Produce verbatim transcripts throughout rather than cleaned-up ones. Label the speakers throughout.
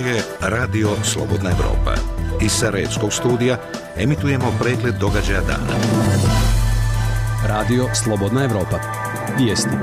Speaker 1: je Radio Slobodna Evropa. Iz Sarajevskog studija emitujemo pregled događaja dana.
Speaker 2: Radio Slobodna Evropa. Vijesti.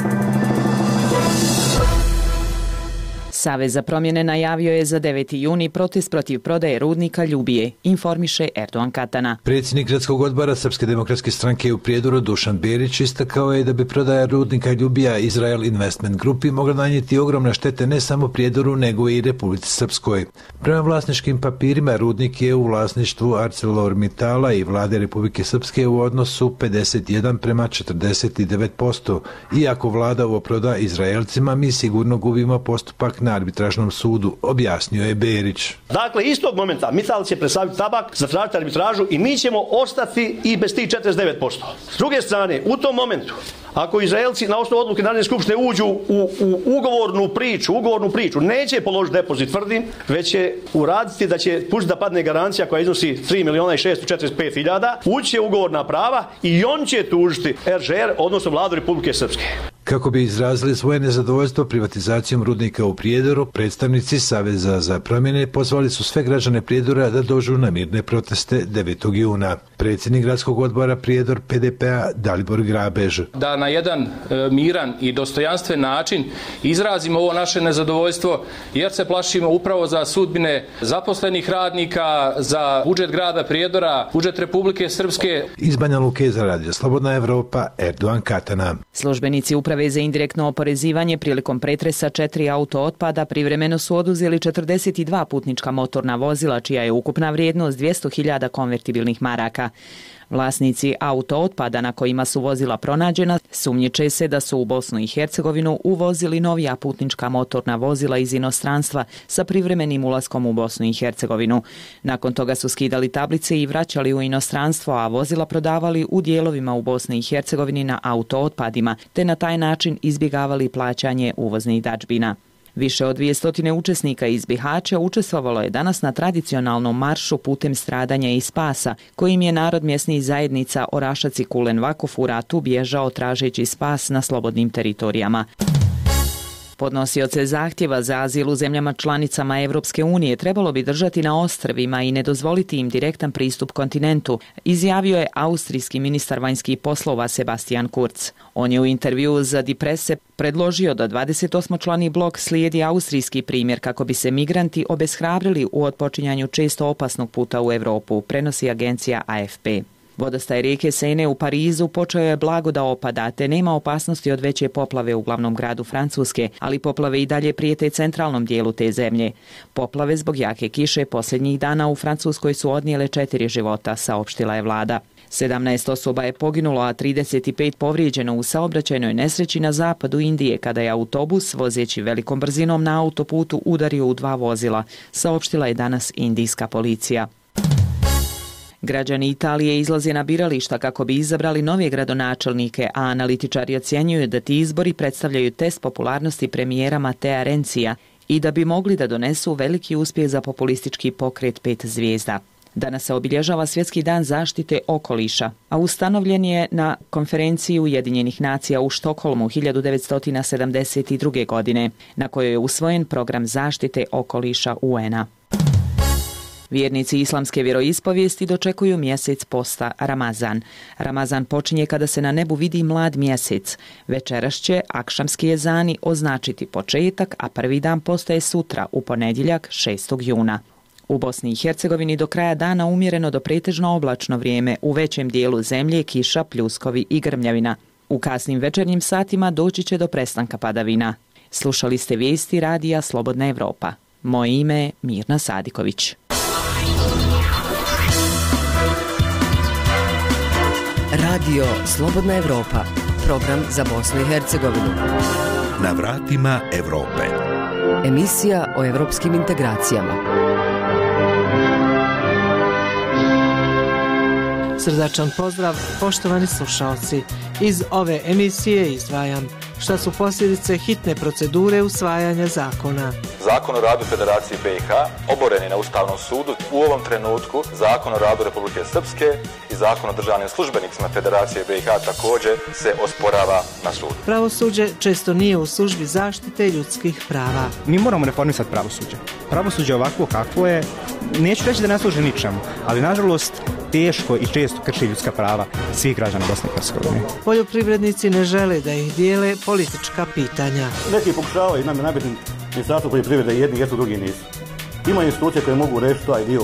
Speaker 3: Savez za promjene najavio je za deveti juni protest protiv prodaje rudnika Ljubije, informiše Erdogan Katana.
Speaker 4: Predsjednik gradskog odbora Srpske demokratske stranke u Prijedoru Dušan Berić istakao je da bi prodaja rudnika Ljubija Izrael Investment Grupi mogla nanijeti ogromne štete ne samo Prijedoru nego i Republici Srpskoj. Prema vlasničkim papirima rudnik je u vlasništvu ArcelorMittala i vlade Republike Srpske u odnosu pedeset jedan prema četrdeset devet posto. Iako vlada ovo proda Izraelcima, mi sigurno gubimo postupak na arbitražnom sudu, objasnio je Berić.
Speaker 5: Dakle, istog momenta Mittal će prestaviti tabak, zatražiti arbitražu i mi ćemo ostati i bez tih četrdeset devet posto. S druge strane, u tom momentu, ako Izraelci na osnovu odluke Narodne skupštine uđu u, u ugovornu priču, ugovornu priču, neće položiti depozit, tvrdim, već će uraditi da će pustiti da padne garancija koja iznosi tri miliona i šesto četrdeset pet hiljada, ući ugovorna prava i on će tužiti er že er, odnosno vladu Republike Srpske.
Speaker 4: Kako bi izrazili svoje nezadovoljstvo privatizacijom rudnika u Prijedoru, predstavnici Saveza za promjene pozvali su sve građane Prijedora da dođu na mirne proteste devetog juna. Predsjednik gradskog odbora Prijedor pe de pe-a Dalibor Grabež.
Speaker 6: Da na jedan e, miran i dostojanstven način izrazimo ovo naše nezadovoljstvo jer se plašimo upravo za sudbine zaposlenih radnika, za budžet grada Prijedora, budžet Republike Srpske.
Speaker 4: Iz Banja Luke za Radio Slobodna Evropa, Erdogan Katana.
Speaker 3: Službenici uprave za indirektno oporezivanje prilikom pretresa četiri auto otpada privremeno su oduzeli četrdeset dva putnička motorna vozila, čija je ukupna vrijednost dvjesto hiljada konvertibilnih maraka. Vlasnici auto otpada na kojima su vozila pronađena sumnjiče se da su u Bosnu i Hercegovinu uvozili novija putnička motorna vozila iz inostranstva sa privremenim ulaskom u Bosnu i Hercegovinu. Nakon toga su skidali tablice i vraćali u inostranstvo, a vozila prodavali u dijelovima u Bosni i Hercegovini na auto otpadima, te na taj način izbjegavali plaćanje uvoznih dadžbina. Više od dvije stotine učesnika iz Bihaća učestvovalo je danas na tradicionalnom maršu putem stradanja i spasa, kojim je narod mjesnih zajednica Orašac i Kulen Vakuf u ratu bježao tražeći spas na slobodnim teritorijama. Podnosioce zahtjeva za azil u zemljama članicama Evropske unije trebalo bi držati na ostrvima i ne dozvoliti im direktan pristup kontinentu, izjavio je austrijski ministar vanjskih poslova Sebastian Kurz. On je u intervjuu za Die Presse predložio da dvadeset osmočlani blok slijedi austrijski primjer kako bi se migranti obeshrabrili u otpočinjanju često opasnog puta u Europu, prenosi agencija a ef pe. Vodostaj rijeke Sene u Parizu počeo je blago da opada, te nema opasnosti od veće poplave u glavnom gradu Francuske, ali poplave i dalje prijete centralnom dijelu te zemlje. Poplave zbog jake kiše posljednjih dana u Francuskoj su odnijele četiri života, saopštila je vlada. sedamnaest osoba je poginulo, a trideset pet povrijeđeno u saobraćajnoj nesreći na zapadu Indije kada je autobus vozeći velikom brzinom na autoputu udario u dva vozila, saopštila je danas indijska policija. Građani Italije izlaze na birališta kako bi izabrali nove gradonačelnike, a analitičari ocjenjuju da ti izbori predstavljaju test popularnosti premijera Matea Renzija i da bi mogli da donesu veliki uspjeh za populistički pokret pet zvijezda. Danas se obilježava Svjetski dan zaštite okoliša, a ustanovljen je na konferenciji Ujedinjenih nacija u Štokholmu hiljadu devetsto sedamdeset druge. godine, na kojoj je usvojen program zaštite okoliša u en-a. Vjernici islamske vjeroispovijesti dočekuju mjesec posta Ramazan. Ramazan počinje kada se na nebu vidi mlad mjesec. Večeras će akšamski ezani označiti početak, a prvi dan postaje sutra, u ponedjeljak šestog juna. U Bosni i Hercegovini do kraja dana umjereno do pretežno oblačno vrijeme, u većem dijelu zemlje kiša, pljuskovi i grmljavina. U kasnim večernjim satima doći će do prestanka padavina. Slušali ste vijesti radija Slobodna Evropa. Moje ime je Mirna Sadiković.
Speaker 7: Radio Slobodna Evropa, program za Bosnu i Hercegovinu.
Speaker 1: Na vratima Evrope.
Speaker 7: Emisija o evropskim integracijama.
Speaker 8: Srdačan pozdrav, poštovani slušalci. Iz ove emisije izdvajam šta su posljedice hitne procedure usvajanja zakona.
Speaker 9: Zakon o radu Federacije B i H oboren je na Ustavnom sudu. U ovom trenutku Zakon o radu Republike Srpske i Zakon o državnim službenicima Federacije B i H također se osporava na sudu.
Speaker 8: Pravosuđe često nije u službi zaštite ljudskih prava.
Speaker 10: Mi moramo reformisati pravosuđe. Pravosuđe ovakvo kakvo je, neću reći da ne služi ničemu, ali nažalost teško i često krši ljudska prava svih građana Bosne i Hercegovine.
Speaker 8: Poljoprivrednici ne žele da ih dijele politička pitanja.
Speaker 11: Neki pokušavaju nam je nabiti Ministarstvo poljoprivrede, jedni jesu, drugi nisu. Ima institucije koje mogu rešiti taj dio.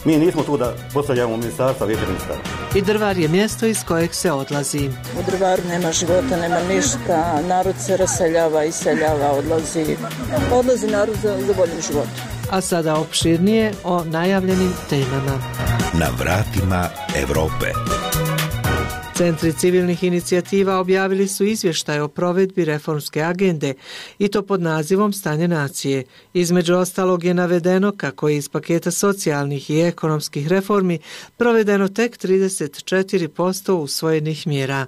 Speaker 11: Mi nismo tu da postavljamo ministarstva, vijeće ministara.
Speaker 8: I Drvar je mjesto iz kojeg se odlazi.
Speaker 12: U Drvaru nema života, nema ništa, narod se raseljava, iseljava, odlazi. Odlazi narod za, za boljim životom.
Speaker 8: A sada opširnije o najavljenim temama.
Speaker 1: Na vratima Evrope.
Speaker 8: Centri civilnih inicijativa objavili su izvještaj o provedbi reformske agende i to pod nazivom Stanje nacije. Između ostalog je navedeno kako je iz paketa socijalnih i ekonomskih reformi provedeno tek trideset četiri posto usvojenih mjera.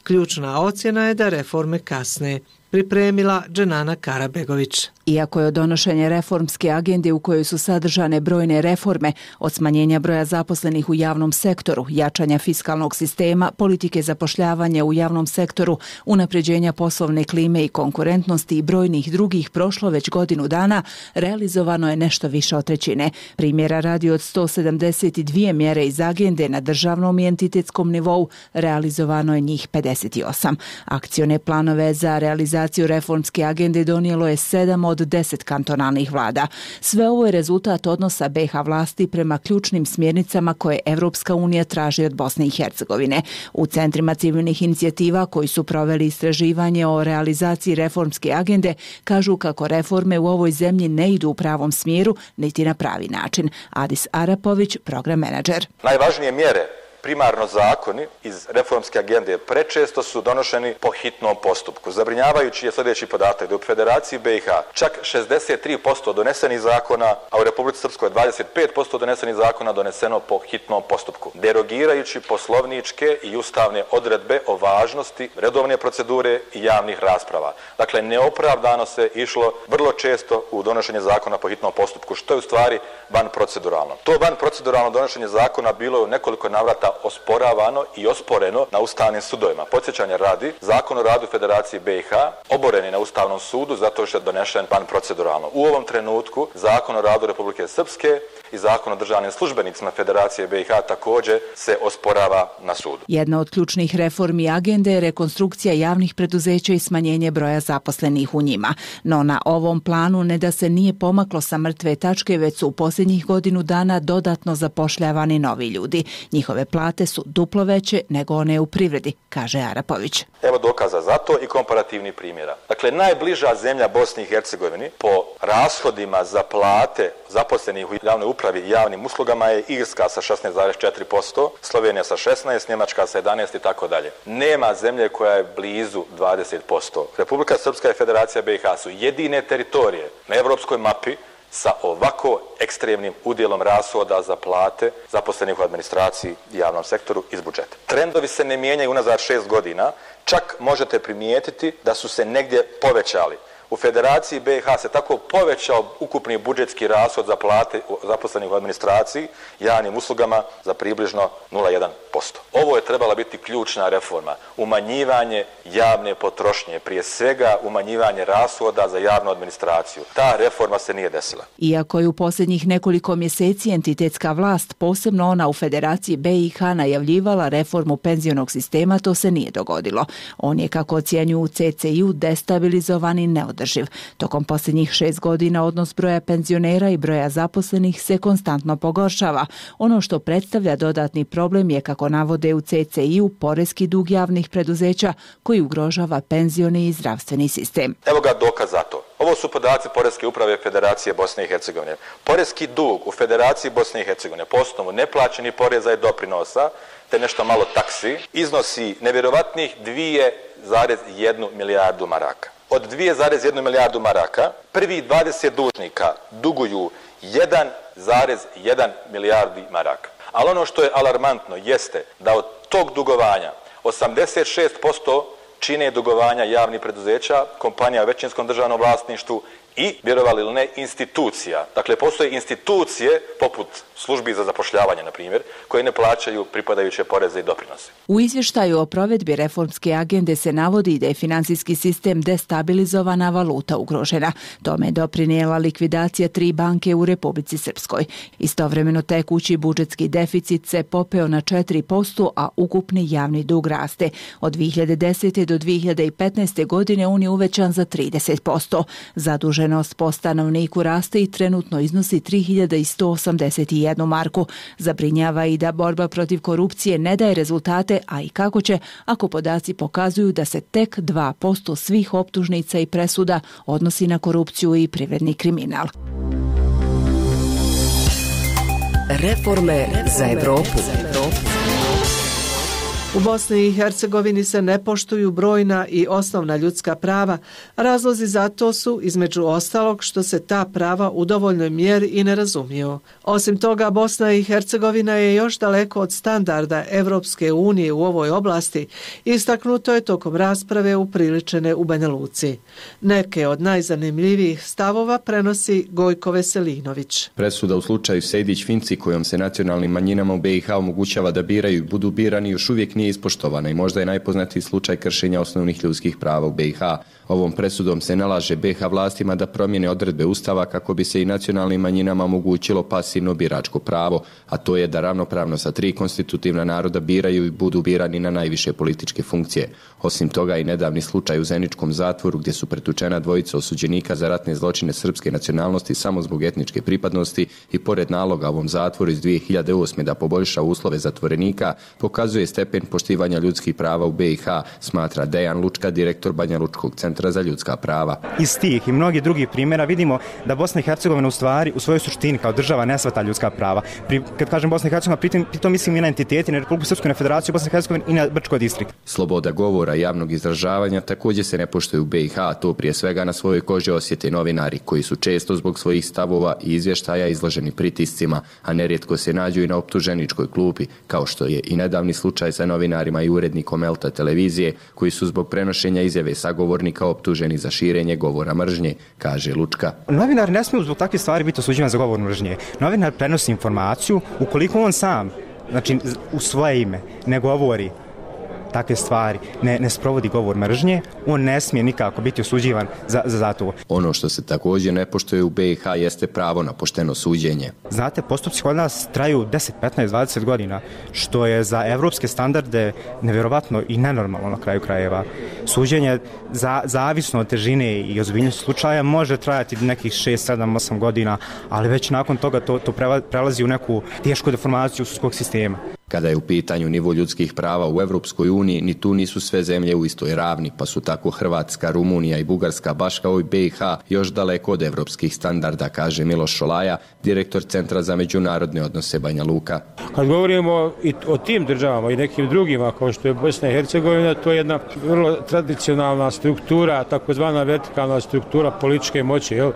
Speaker 8: Ključna ocjena je da reforme kasne. Pripremila Dženana Karabegović.
Speaker 13: Iako je od donošenja reformske agende u kojoj su sadržane brojne reforme, od smanjenja broja zaposlenih u javnom sektoru, jačanja fiskalnog sistema, politike zapošljavanja u javnom sektoru, unapređenja poslovne klime i konkurentnosti i brojnih drugih prošlo već godinu dana, realizovano je nešto više od trećine. Primjera radi od sto sedamdeset dvije mjere iz agende na državnom i entitetskom nivou, realizovano je njih pedeset osam. Akcione planove za realizaciju reformske agende donijelo je sedam od deset kantonalnih vlada. Sve ovo je rezultat odnosa B i H vlasti prema ključnim smjernicama koje Evropska unija traži od Bosne i Hercegovine. U centrima civilnih inicijativa koji su proveli istraživanje o realizaciji reformske agende kažu kako reforme u ovoj zemlji ne idu u pravom smjeru niti na pravi način. Adis Arapović, program menadžer.
Speaker 9: Najvažnije mjere, primarno zakoni iz reformske agende, prečesto su donošeni po hitnom postupku. Zabrinjavajući je sljedeći podatak da u Federaciji B i H čak šezdeset tri posto donesenih zakona, a u Republici Srpskoj dvadeset pet posto donesenih zakona doneseno po hitnom postupku, derogirajući poslovničke i ustavne odredbe o važnosti redovne procedure i javnih rasprava. Dakle, neopravdano se išlo vrlo često u donošenje zakona po hitnom postupku, što je u stvari van proceduralno. To van proceduralno donošenje zakona bilo je u nekoliko navrata osporavano i osporeno na ustavnim sudovima. Podsjećanja radi, Zakon o radu Federacije B i H oboren je na Ustavnom sudu zato što je donešen van proceduralno. U ovom trenutku Zakon o radu Republike Srpske i Zakon o državnim službenicima Federacije B i H također se osporava na sudu.
Speaker 13: Jedna od ključnih reformi agende je rekonstrukcija javnih preduzeća i smanjenje broja zaposlenih u njima. No na ovom planu ne da se nije pomaklo sa mrtve tačke, već su u posljednjih godinu dana dodatno zapošljavani novi ljudi. Njihove plate su duplo veće nego one u privredi, kaže Arapović.
Speaker 9: Evo dokaza za to i komparativnih primjera. Dakle, najbliža zemlja Bosni i Hercegovini po rashodima za plate zaposlenih u javnoj upravi i javnim uslugama je Irska sa šesnaest zarez četiri posto, Slovenija sa šesnaest, Njemačka sa jedanaest i tako dalje. Nema zemlje koja je blizu dvadeset posto. Republika Srpska i Federacija B i H su jedine teritorije na evropskoj mapi sa ovako ekstremnim udjelom rashoda za plate zaposlenih u administraciji i javnom sektoru iz budžeta. Trendovi se ne mijenjaju unazad šest godina, čak možete primijetiti da su se negdje povećali. U Federaciji B i H se tako povećao ukupni budžetski rashod za plate zaposlenih u administraciji i javnim uslugama za približno nula zarez jedan posto. Ovo je trebala biti ključna reforma, umanjivanje javne potrošnje, prije svega umanjivanje rashoda za javnu administraciju. Ta reforma se nije desila.
Speaker 13: Iako je u posljednjih nekoliko mjeseci entitetska vlast, posebno ona u Federaciji B i H, najavljivala reformu penzionog sistema, to se nije dogodilo. On je, kako ocjenjuju u C C I-u, destabilizovan i neodrživ. Tokom posljednjih šest godina odnos broja penzionera i broja zaposlenih se konstantno pogoršava. Ono što predstavlja dodatni problem je, kako navode u C C I-u, poreski dug javnih preduzeća koji ugrožava penzioni i zdravstveni sistem.
Speaker 9: Evo ga dokaz za to. Ovo su podaci Poreske uprave Federacije Bosne i Hercegovine. Poreski dug u Federaciji Bosne i Hercegovine po osnovu neplaćenih poreza i doprinosa te nešto malo taksi iznosi nevjerovatnih dvije zarez jednu milijardu maraka. Od dvije zarez jednu milijardu maraka prvi dvadeset dužnika duguju jedan zarez jedan milijardi maraka. Ali ono što je alarmantno jeste da od tog dugovanja osamdeset šest posto čine dugovanja javnih preduzeća, kompanija u većinskom državnom vlasništvu i, vjerovali ili ne, institucija. Dakle, postoje institucije poput službi za zapošljavanje, na primjer, koje ne plaćaju pripadajuće poreze i doprinose.
Speaker 13: U izvještaju o provedbi reformske agende se navodi da je financijski sistem destabilizovana, valuta ugrožena. Tome je doprinijela likvidacija tri banke u Republici Srpskoj. Istovremeno tekući budžetski deficit se popeo na četiri posto, a ukupni javni dug raste. Od dvije hiljade desete. do dvije hiljade petnaeste. godine on je uvećan za trideset posto. Zaduženost po stanovniku raste i trenutno iznosi tri hiljade sto osamdeset jednu marku. Zabrinjava i da borba protiv korupcije ne daje rezultate, a i kako će ako podaci pokazuju da se tek dva posto svih optužnica i presuda odnosi na korupciju i privredni kriminal.
Speaker 7: Reforme za Evropu.
Speaker 8: U Bosni i Hercegovini se ne poštuju brojna i osnovna ljudska prava. Razlozi za to su, između ostalog, što se ta prava u dovoljnoj mjeri i ne razumiju. Osim toga, Bosna i Hercegovina je još daleko od standarda Evropske unije u ovoj oblasti, istaknuto je tokom rasprave upriličene u Banja Luci. Neke od najzanimljivijih stavova prenosi Gojko Veselinović.
Speaker 14: Presuda u slučaju Sejdić-Finci, kojom se nacionalnim manjinama u B i H omogućava da biraju i budu birani, još uvijek nije ispoštovana i možda je najpoznatiji slučaj kršenja osnovnih ljudskih prava u B i H. Ovom presudom se nalaže B i H vlastima da promijene odredbe Ustava kako bi se i nacionalnim manjinama omogućilo pasivno biračko pravo, a to je da ravnopravno sa tri konstitutivna naroda biraju i budu birani na najviše političke funkcije. Osim toga i nedavni slučaj u Zeničkom zatvoru gdje su pretučena dvojica osuđenika za ratne zločine srpske nacionalnosti samo zbog etničke pripadnosti i pored naloga ovom zatvoru iz dvije hiljade osme. da poboljša uslove zatvorenika, pokazuje stepen poštivanja ljudskih prava u B i H, smatra Dejan Lučka, direktor Banja Lučkog centra za ljudska prava.
Speaker 10: Iz tih i mnogih drugih primjera vidimo da Bosna i Hercegovina u stvari u svojoj suštini kao država ne shvata ljudska prava. Pri, kad kažem Bosna i Hercegovina, pritom, pritom mislim i na entiteti, na Republiku Srpsku, na Federaciju Bosne i Hercegovine i na Brčko distrikt.
Speaker 14: Sloboda govora i javnog izražavanja također se ne poštuje u B i H, a to prije svega na svojoj koži osjete novinari koji su često zbog svojih stavova i izvještaja izloženi pritiscima, a nerijetko se nađu i na optuženičkoj klupi, kao što je i nedavni slučaj sa novinarima i urednikom Elta televizije koji su zbog prenošenja izjave sagovornika optuženi za širenje govora mržnje, kaže Lučka.
Speaker 10: Novinar ne smije zbog takvih stvari biti osuđivan za govor mržnje. Novinar prenosi informaciju ukoliko on sam, znači u svoje ime, ne govori takve stvari, ne, ne sprovodi govor mržnje, on ne smije nikako biti osuđivan za, za, za to.
Speaker 14: Ono što se također ne poštuje u B i H jeste pravo na pošteno suđenje.
Speaker 10: Znate, postupci kod nas traju deset, petnaest, dvadeset godina, što je za evropske standarde nevjerovatno i nenormalno na kraju krajeva. Suđenje za, zavisno od težine i ozbiljnosti slučaja može trajati nekih šest, sedam, osam godina, ali već nakon toga to, to prelazi u neku tešku deformaciju sudskog sistema.
Speaker 14: Kada je u pitanju nivo ljudskih prava u Evropskoj uniji, ni tu nisu sve zemlje u istoj ravni, pa su tako Hrvatska, Rumunija i Bugarska, baš kao i B i H, još daleko od evropskih standarda, kaže Miloš Šolaja, direktor Centra za međunarodne odnose Banja Luka.
Speaker 15: Kad govorimo i o tim državama i nekim drugima, kao što je Bosna i Hercegovina, to je jedna vrlo tradicionalna struktura, takozvana vertikalna struktura političke moći, jel,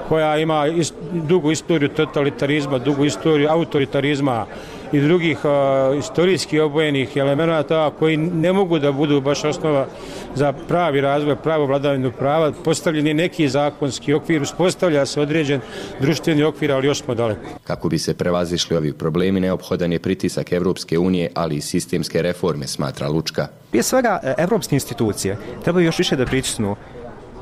Speaker 15: koja ima ist, dugu istoriju totalitarizma, dugu istoriju autoritarizma i drugih uh, istorijski obojenih elemenata koji ne mogu da budu baš osnova za pravi razvoj, pravo vladavinu prava. Postavljen je neki zakonski okvir, uspostavlja se određen društveni okvir, ali još smo daleko.
Speaker 14: Kako bi se prevazišli ovi problemi, neophodan je pritisak Evropske unije, ali i sistemske reforme, smatra Lučka.
Speaker 10: Prije svega, evropske institucije trebaju još više da pritisnu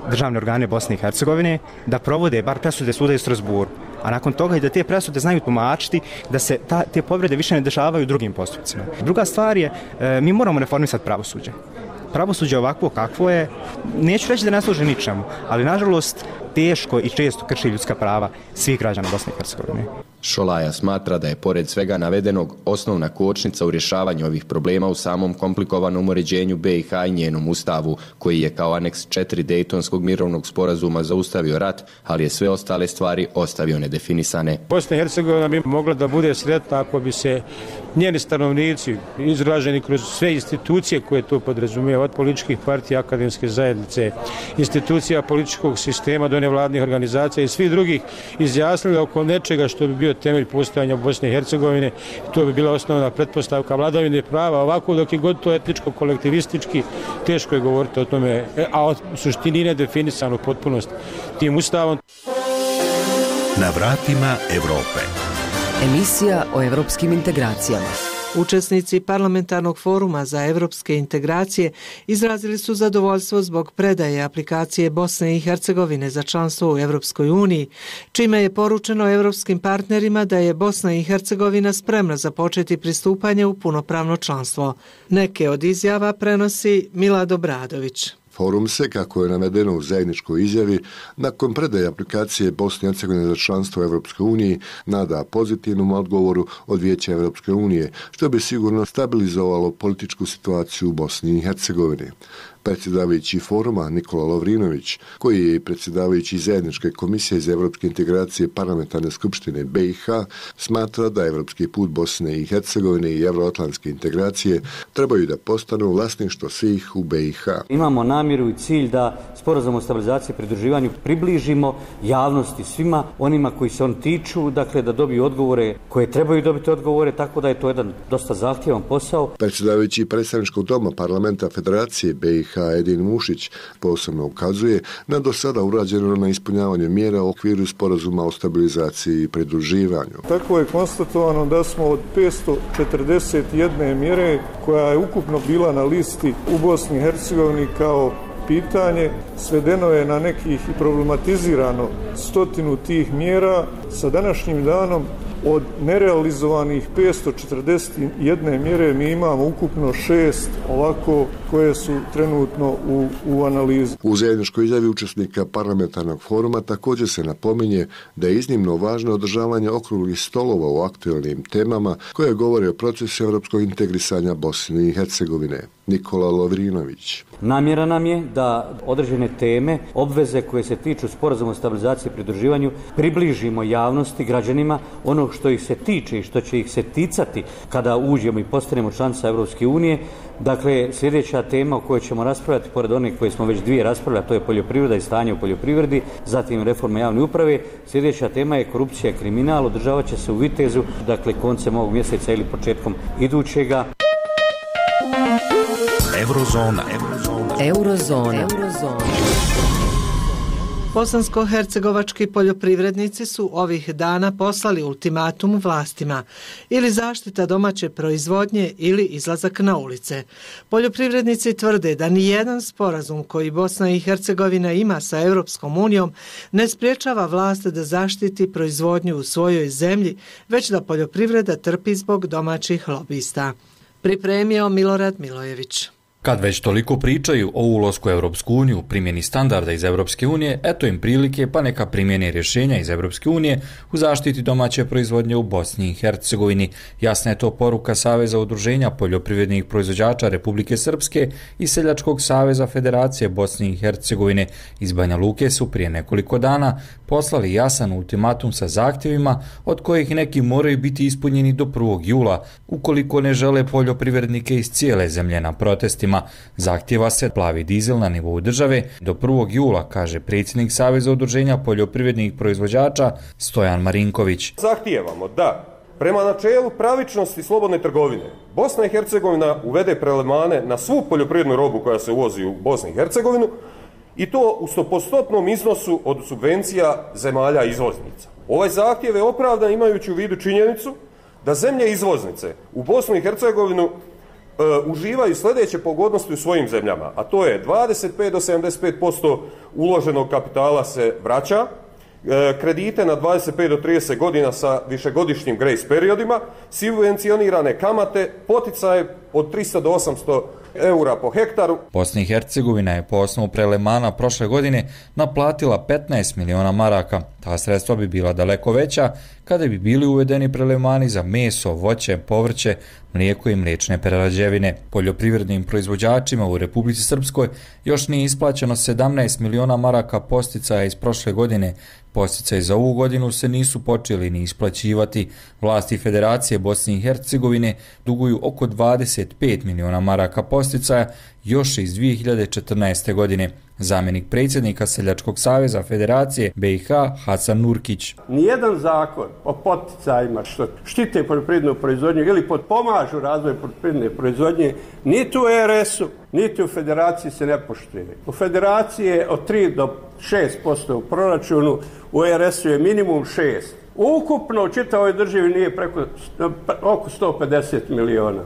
Speaker 10: državne organe Bosne i Hercegovine da provode bar presude suda iz Strasburu, a nakon toga i da te presude znaju tumačiti da se ta, te povrede više ne dešavaju u drugim postupcima. Druga stvar je, e, mi moramo reformisati pravosuđe. Pravosuđe ovakvo kakvo je, neću reći da ne služi ničemu, ali nažalost teško i često krši ljudska prava svih građana Bosne i Hercegovine.
Speaker 14: Šolaja smatra da je pored svega navedenog osnovna kočnica u rješavanju ovih problema u samom komplikovanom uređenju B i H i njenom ustavu, koji je kao aneks četiri Dejtonskog mirovnog sporazuma zaustavio rat, ali je sve ostale stvari ostavio nedefinisane.
Speaker 15: Bosna i Hercegovina bi mogla da bude sretna ako bi se njeni stanovnici, izraženi kroz sve institucije koje to podrazumijeva, od političkih partija, akademske zajednice, institucija političkog sistema do nevladnih organizacija i svih drugih, izjasnili oko nečega što bi bio temelj postojanja Bosne i Hercegovine. To bi bila osnovna pretpostavka vladavine prava. Ovako dok je god to etničko, kolektivistički, teško je govoriti o tome, a u suštini ne definisano potpunost tim ustavom.
Speaker 1: Na vratima Evrope.
Speaker 7: Emisija o evropskim integracijama.
Speaker 8: Učesnici parlamentarnog foruma za evropske integracije izrazili su zadovoljstvo zbog predaje aplikacije Bosne i Hercegovine za članstvo u Evropskoj uniji, čime je poručeno evropskim partnerima da je Bosna i Hercegovina spremna započeti pristupanje u punopravno članstvo. Neke od izjava prenosi Milad Obradović.
Speaker 16: Forum se, kako je navedeno u zajedničkoj izjavi, nakon predaje aplikacije Bosne i Hercegovine za članstvo u Evropskoj uniji nada pozitivnom odgovoru od Vijeća Evropske unije, što bi sigurno stabilizovalo političku situaciju u Bosni i Hercegovini. Predsjedavajući foruma Nikola Lovrinović, koji je predsjedavajući zajedničke komisije za evropske integracije parlamentarne skupštine B i H, smatra da evropski put Bosne i Hercegovine i evroatlantske integracije trebaju da postanu vlasništvo svih u B i H.
Speaker 17: Imamo namjeru i cilj da sporazum o stabilizaciji i pridruživanju približimo javnosti, svima onima koji se on tiču, dakle da dobiju odgovore koje trebaju dobiti odgovore, tako da je to jedan dosta zahtjevan posao.
Speaker 16: Predsjedavajući predstavničkog doma parlamenta Federacije B i H Edin Mušić posebno ukazuje na do sada urađeno na ispunjavanju mjera u okviru sporazuma o stabilizaciji i pridruživanju.
Speaker 18: Tako je konstatovano da smo od petsto četrdeset jedne mjere koja je ukupno bila na listi u Bosni i Hercegovini kao pitanje, svedeno je na nekih i problematizirano stotinu tih mjera. Sa današnjim danom od nerealizovanih petsto četrdeset jedne mjere mi imamo ukupno šest ovako koje su trenutno u, u analizi.
Speaker 16: U zajedničkoj izjavi učesnika parlamentarnog foruma također se napominje da je iznimno važno održavanje okruglih stolova u aktualnim temama koje govore o procesu evropskog integrisanja Bosne i Hercegovine. Nikola Lovrinović.
Speaker 17: Namjera nam je da određene teme, obveze koje se tiču sporazuma o stabilizaciji i pridruživanju približimo javnosti, građanima, ono što ih se tiče i što će ih se ticati kada uđemo i postanemo članica Evropske unije. Dakle, sljedeća tema o kojoj ćemo raspravljati, pored onih koje smo već dvije raspravljali, to je poljoprivreda i stanje u poljoprivredi, zatim reforma javne uprave. Sljedeća tema je korupcija i kriminal, održavat će se u Vitezu, dakle koncem ovog mjeseca ili početkom idućega.
Speaker 1: Eurozona.
Speaker 7: Eurozona. Eurozona.
Speaker 8: Bosansko-hercegovački poljoprivrednici su ovih dana poslali ultimatum vlastima, ili zaštita domaće proizvodnje ili izlazak na ulice. Poljoprivrednici tvrde da ni jedan sporazum koji Bosna i Hercegovina ima sa Europskom unijom ne spriječava vlast da zaštiti proizvodnju u svojoj zemlji, već da poljoprivreda trpi zbog domaćih lobista. Pripremio Milorad Milojević.
Speaker 19: Kad već toliko pričaju o ulasku u Europsku uniju, primjeni standarda iz Europske unije, eto im prilike pa neka primjene rješenja iz Europske unije u zaštiti domaće proizvodnje u Bosni i Hercegovini. Jasna je to poruka Saveza udruženja poljoprivrednih proizvođača Republike Srpske i Seljačkog saveza Federacije Bosne i Hercegovine. Iz Banja Luke su prije nekoliko dana poslali jasan ultimatum sa zahtjevima od kojih neki moraju biti ispunjeni do prvog jula, ukoliko ne žele poljoprivrednike iz cijele zemlje na protestima. Zahtjeva se plavi dizel na nivou države do prvog jula, kaže predsjednik Saveza udruženja poljoprivrednih proizvođača Stojan Marinković.
Speaker 20: Zahtijevamo da prema načelu pravičnosti i slobodne trgovine Bosna i Hercegovina uvede prelevmane na svu poljoprivrednu robu koja se uvozi u Bosnu i Hercegovinu i to u stopostotnom iznosu od subvencija zemalja izvoznica. Ovaj zahtjev je opravdan imajući u vidu činjenicu da zemlje izvoznice u Bosnu i Hercegovinu Uh, uživaju sljedeće pogodnosti u svojim zemljama, a to je dvadeset pet do sedamdeset pet posto uloženog kapitala se vraća, uh, kredite na dvadeset pet do trideset godina sa višegodišnjim grace periodima, subvencionirane kamate, poticaje od tristo do osamsto eura po hektaru.
Speaker 19: Bosna i Hercegovina je po osnovu prelemana prošle godine naplatila petnaest miliona maraka. Ta sredstva bi bila daleko veća kada bi bili uvedeni prelemani za meso, voće, povrće, mlijeko i mliječne prerađevine. Poljoprivrednim proizvođačima u Republici Srpskoj još nije isplaćeno sedamnaest miliona maraka posticaja iz prošle godine. Posticaji za ovu godinu se nisu počeli ni isplaćivati. Vlasti Federacije Bosne i Hercegovine duguju oko dvadeset pet miliona maraka posticaja još iz dvije hiljade četrnaeste. godine. Zamjenik predsjednika Seljačkog saveza Federacije B i H Hasan Nurkić.
Speaker 21: Nijedan zakon o poticajima što štite poljoprivrednu proizvodnju ili potpomažu razvoj poljoprivredne proizvodnje niti u R S-u, niti u Federaciji se ne poštuje. U Federaciji je od tri do šest posto u proračunu, u R S-u je minimum šest. Ukupno u čitavoj državi nije preko oko sto pedeset miliona.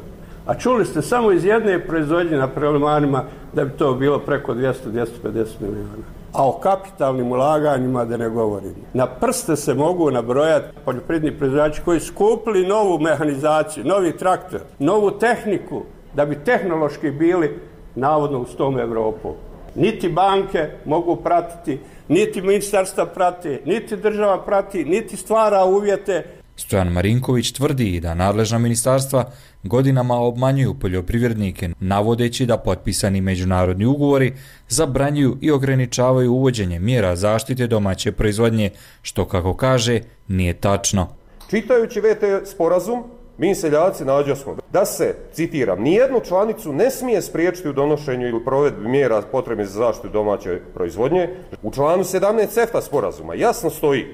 Speaker 21: A čuli ste samo iz jedne proizvodnje na prelemanima da bi to bilo preko dvjesto do dvjesto pedeset miliona. A o kapitalnim ulaganjima da ne govorim. Na prste se mogu nabrojati poljoprivredni proizvođači koji su kupili novu mehanizaciju, novi traktor, novu tehniku da bi tehnološki bili navodno uz tom Evropu. Niti banke mogu pratiti, niti ministarstva prati, niti država prati, niti stvara uvjete.
Speaker 19: Stojan Marinković tvrdi da nadležna ministarstva godinama obmanjuju poljoprivrednike, navodeći da potpisani međunarodni ugovori zabranjuju i ograničavaju uvođenje mjera zaštite domaće proizvodnje, što, kako kaže, nije tačno.
Speaker 20: Čitajući V T sporazum, mi seljaci nađosmo da se, citiram, nijednu članicu ne smije spriječiti u donošenju ili provedbi mjera potrebnih za zaštitu domaće proizvodnje. U članu sedamnaest CEFTA sporazuma jasno stoji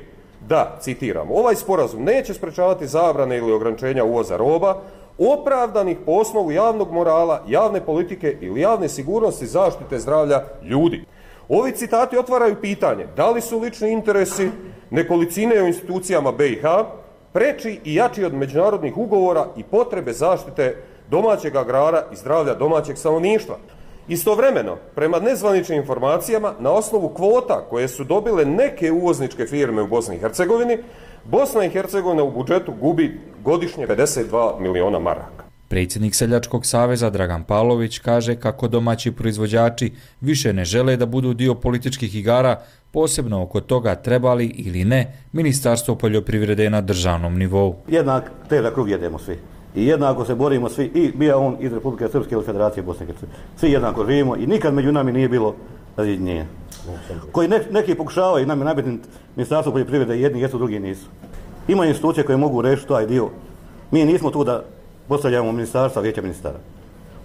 Speaker 20: da, citiram, ovaj sporazum neće sprečavati zabrane ili ograničenja uvoza roba opravdanih po osnovu javnog morala, javne politike ili javne sigurnosti zaštite zdravlja ljudi. Ovi citati otvaraju pitanje da li su lični interesi nekolicine u institucijama B i H preči i jači od međunarodnih ugovora i potrebe zaštite domaćeg agrara i zdravlja domaćeg stanovništva. Istovremeno, prema nezvaničnim informacijama, na osnovu kvota koje su dobile neke uvozničke firme u Bosni i Hercegovini, Bosna i Hercegovina u budžetu gubi godišnje pedeset dva miliona maraka.
Speaker 19: Predsjednik Seljačkog saveza Dragan Pavlović kaže kako domaći proizvođači više ne žele da budu dio političkih igara, posebno oko toga trebali ili ne Ministarstvo poljoprivrede na državnom nivou.
Speaker 11: Jednak težak krug jedemo svi. I jednako se borimo svi, i bio on iz Republike Srpske ili Federacije Bosne i Hercegovine. Svi jednako živimo i nikad među nami nije bilo razjedinjenja. Koji ne, neki pokušavaju nami nabiti Ministarstvo poljoprivrede, jedni jesu, drugi nisu. Ima institucije koje mogu rešiti taj dio. Mi nismo tu da postavljamo ministarstva, vijeća ministara.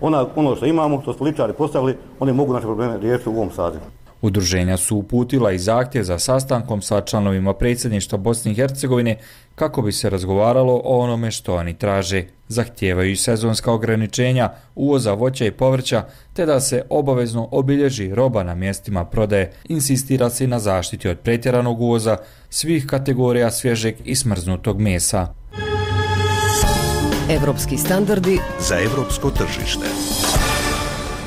Speaker 11: Ona, ono što imamo, što su političari postavili, oni mogu naše probleme riješiti u ovom sazivu.
Speaker 19: Udruženja su uputila i zahtjev za sastankom sa članovima predsjedništva Bosne i Hercegovine kako bi se razgovaralo o onome što oni traže. Zahtijevaju sezonska ograničenja uvoza voća i povrća, te da se obavezno obilježi roba na mjestima prodaje. Insistira se na zaštiti od pretjeranog uvoza svih kategorija svježeg i smrznutog mesa.
Speaker 7: Evropski standardi
Speaker 1: za evropsko tržište.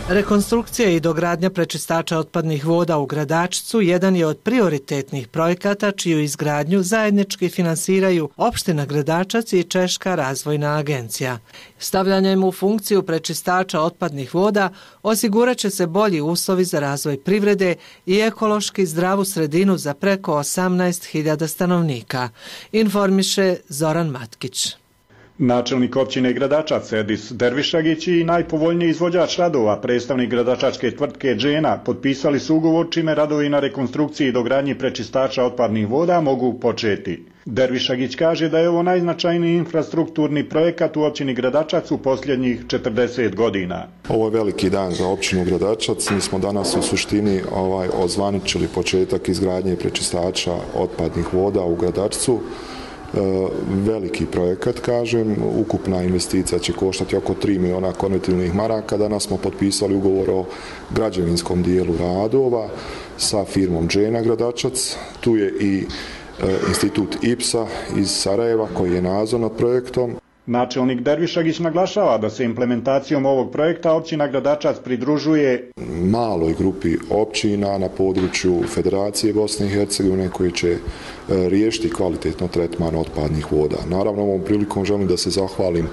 Speaker 8: Rekonstrukcija i dogradnja prečistača otpadnih voda u Gradačcu jedan je od prioritetnih projekata čiju izgradnju zajednički finansiraju opština Gradačac i Češka razvojna agencija. Stavljanjem u funkciju prečistača otpadnih voda osigurat će se bolji uslovi za razvoj privrede i ekološki zdravu sredinu za preko osamnaest hiljada stanovnika, informiše Zoran Matkić.
Speaker 22: Načelnik općine Gradačac Edis Dervišagić i najpovoljniji izvođač radova, predstavnik gradačačke tvrtke Džena, potpisali su ugovor čime radovi na rekonstrukciji i dogradnji prečistača otpadnih voda mogu početi. Dervišagić kaže da je ovo najznačajniji infrastrukturni projekat u općini Gradačac u posljednjih četrdeset godina.
Speaker 23: Ovo je veliki dan za općinu Gradačac. Mi smo danas u suštini ovaj, ozvaničili početak izgradnje prečistača otpadnih voda u Gradačcu. Veliki projekat, kažem, ukupna investicija će koštati oko tri miliona konvertibilnih maraka. Danas smo potpisali ugovor o građevinskom dijelu radova sa firmom Džena Gradačac. Tu je i institut I P S A iz Sarajeva koji je nadzor nad projektom.
Speaker 22: Načelnik Dervišagić naglašava da se implementacijom ovog projekta općina Gradačac pridružuje
Speaker 23: maloj grupi općina na području Federacije Bosne i Hercegovine koji će riješiti kvalitetno tretman otpadnih voda. Naravno, ovom prilikom želim da se zahvalim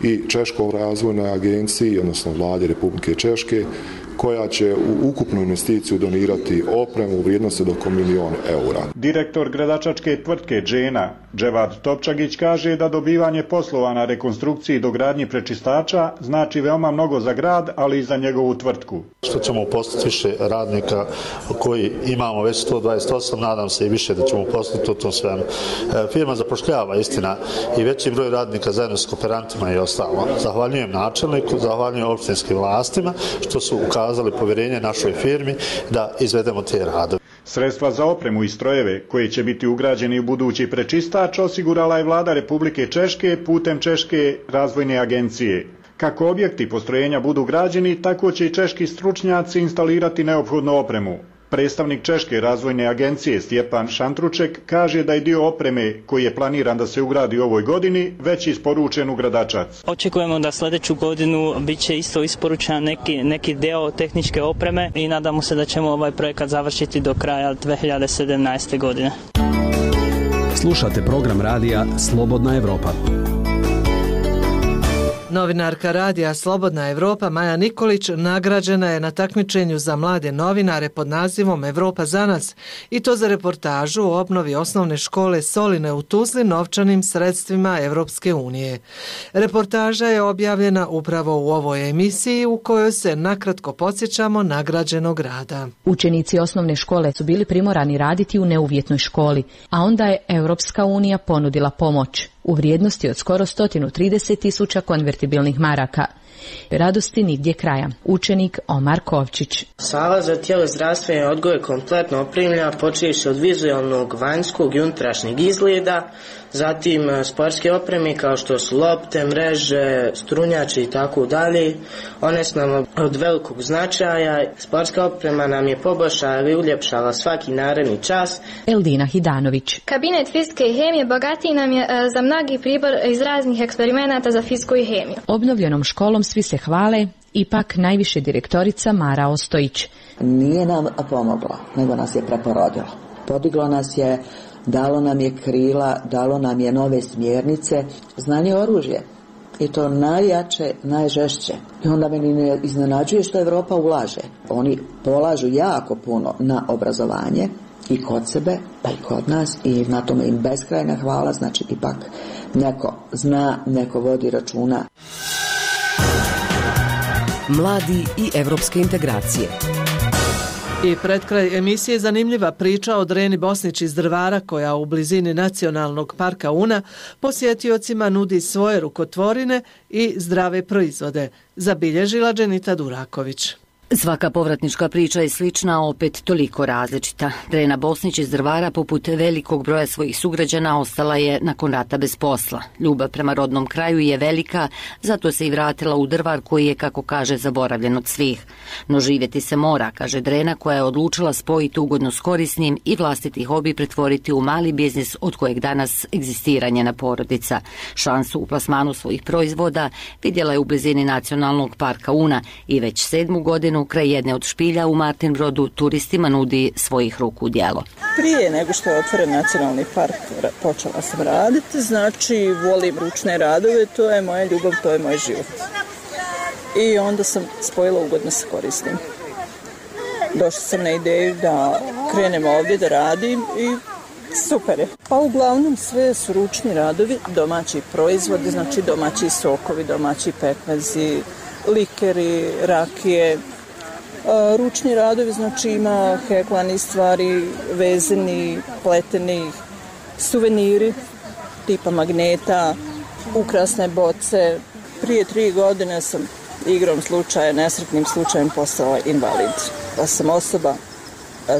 Speaker 23: i Češkoj razvojnoj agenciji, odnosno vladi Republike Češke, koja će u ukupnu investiciju donirati opremu u vrijednosti do oko milijon eura.
Speaker 22: Direktor gradačačke tvrtke Džena, Dževad Topčagić, kaže da dobivanje poslova na rekonstrukciji i dogradnji prečistača znači veoma mnogo za grad, ali i za njegovu tvrtku.
Speaker 2: Što ćemo uposliti više radnika koji imamo već sto dvadeset osam, nadam se i više da ćemo uposliti u tom svemu. Firma zapošljava, istina, i veći broj radnika zajedno s kooperantima i ostalo. Zahvaljujem načelniku, zahvaljujem opštinskim vlastima što su ukazali povjerenje našoj firmi da izvedemo te radove.
Speaker 22: Sredstva za opremu i strojeve koji će biti ugrađeni u budući prečistač osigurala je vlada Republike Češke putem Češke razvojne agencije. Kako objekti postrojenja budu građeni, tako će i češki stručnjaci instalirati neophodnu opremu. Predstavnik Češke razvojne agencije Stjepan Šantruček kaže da je dio opreme koji je planiran da se ugradi u ovoj godini već isporučen u Gradačac.
Speaker 5: Očekujemo da sljedeću godinu bit će isto isporučen neki, neki deo tehničke opreme i nadamo se da ćemo ovaj projekat završiti do kraja dve hiljade sedamnaeste. godine.
Speaker 6: Slušate program radija Slobodna Evropa.
Speaker 8: Novinarka radija Slobodna Evropa Maja Nikolić nagrađena je na takmičenju za mlade novinare pod nazivom Evropa za nas i to za reportažu o obnovi osnovne škole Soline u Tuzli novčanim sredstvima Evropske unije. Reportaža je objavljena upravo u ovoj emisiji u kojoj se nakratko podsjećamo nagrađenog rada.
Speaker 24: Učenici osnovne škole su bili primorani raditi u neuvjetnoj školi, a onda je Evropska unija ponudila pomoć u vrijednosti od skoro sto trideset tisuća konvertibilnih maraka. Radosti nigdje kraja. Učenik Omar Kovčić.
Speaker 25: Sala za tijelo zdravstveni odgoj je kompletno opremljena, počevši od vizualnog, vanjskog i unutrašnjeg izgleda, zatim sportske opreme kao što su lopte, mreže, strunjači i tako dalje. One su nam od velikog značaja. Sportska oprema nam je poboljšala i uljepšala svaki naredni čas.
Speaker 24: Eldina Hidanović.
Speaker 26: Kabinet fizike i hemije bogatiji nam je za mnogi pribor iz raznih eksperimenata za fiziku i hemiju.
Speaker 24: Obnovljenom školom svi se hvale, ipak najviše direktorica Mara Ostojić.
Speaker 27: Nije nam pomoglo, nego nas je preporodilo. Podiglo nas je, dalo nam je krila, dalo nam je nove smjernice, znanje oružje. I to najjače, najžešće. I onda meni ne iznenađuje što Evropa ulaže. Oni polažu jako puno na obrazovanje i kod sebe, pa i kod nas i na tome im beskrajna hvala, znači ipak neko zna, neko vodi računa.
Speaker 7: Mladi i evropske integracije.
Speaker 8: I pred kraj emisije zanimljiva priča o Dreni Bosnić iz Drvara koja u blizini Nacionalnog parka Una posjetiocima nudi svoje rukotvorine i zdrave proizvode. Zabilježila Dženita Duraković.
Speaker 28: Svaka povratnička priča je slična, a opet toliko različita. Drena Bosnić iz Drvara, poput velikog broja svojih sugrađana, ostala je nakon rata bez posla. Ljubav prema rodnom kraju je velika, zato se i vratila u Drvar koji je, kako kaže, zaboravljen od svih. No živjeti se mora, kaže Drena, koja je odlučila spojiti ugodno s korisnim i vlastiti hobi pretvoriti u mali biznis od kojeg danas egzistira njena porodica. Šansu u plasmanu svojih proizvoda vidjela je u blizini Nacionalnog parka Una i već sedmu godinu kraj jedne od špilja u Martinbrodu turistima nudi svojih ruku djelo.
Speaker 12: Prije nego što je otvoren Nacionalni park počela sam raditi, znači volim ručne radove, to je moja ljubav, to je moj život. I onda sam spojila ugodno sa korisnim. Došla sam na ideju da krenem ovdje da radim i super je. Pa uglavnom sve su ručni radovi, domaći proizvodi, znači domaći sokovi, domaći pekmezi, likeri, rakije. Ručni radovi, znači ima heklani stvari, vezeni, pleteni, suveniri tipa magneta, ukrasne boce. Prije tri godine sam igrom slučaja, nesretnim slučajem postala invalid. Pa sam osoba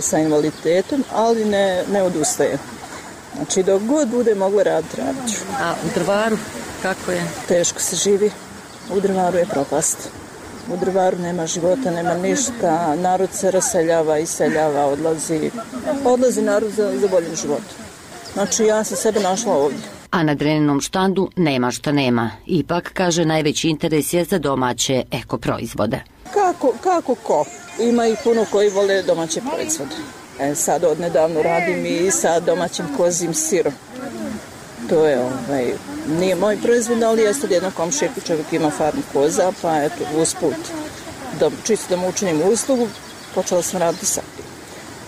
Speaker 12: sa invaliditetom, ali ne, ne odustaje. Znači dok god bude mogla raditi, radit ću.
Speaker 28: A u Drvaru kako je?
Speaker 12: Teško se živi. U Drvaru je propast. U Drvaru nema života, nema ništa, narod se raseljava, iseljava, odlazi, odlazi narod za, za boljim životom. Znači ja sam sebe našla ovdje.
Speaker 28: A na Dreninom štandu nema šta nema. Ipak, kaže, najveći interes je za domaće eko proizvode.
Speaker 12: Kako, kako ko? Ima i puno koji vole domaće proizvode. E, sad odnedavno radim i sa domaćim kozim sirom. To je ovaj, Nije moj proizvod, ali jeste od jednog komšije čovjek ima farmu koza, pa eto, usput, da, čisto da mu učinim uslugu, počela sam raditi sa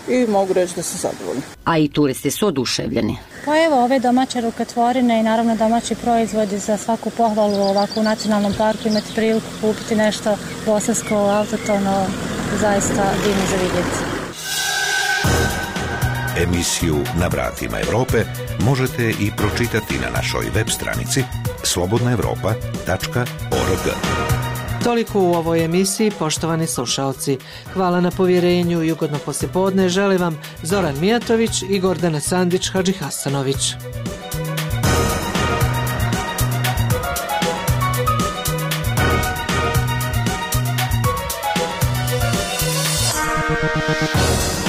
Speaker 12: i mogu reći da sam zadovoljna.
Speaker 28: A i turisti su oduševljeni.
Speaker 3: Pa evo, ove domaće rukotvorine i naravno domaći proizvodi za svaku pohvalu ovako u nacionalnom parku imati priliku kupiti nešto bosansko, autotono, zaista divno za vidjeti.
Speaker 1: Emisiju Na vratima Evrope možete i pročitati na našoj web stranici slobodna evropa tačka org.
Speaker 8: Toliko u ovoj emisiji, poštovani slušalci. Hvala na povjerenju i ugodno poslijepodne žele vam Zoran Mijatović i Gordana Sandić Hadžihasanović.
Speaker 1: Thank you.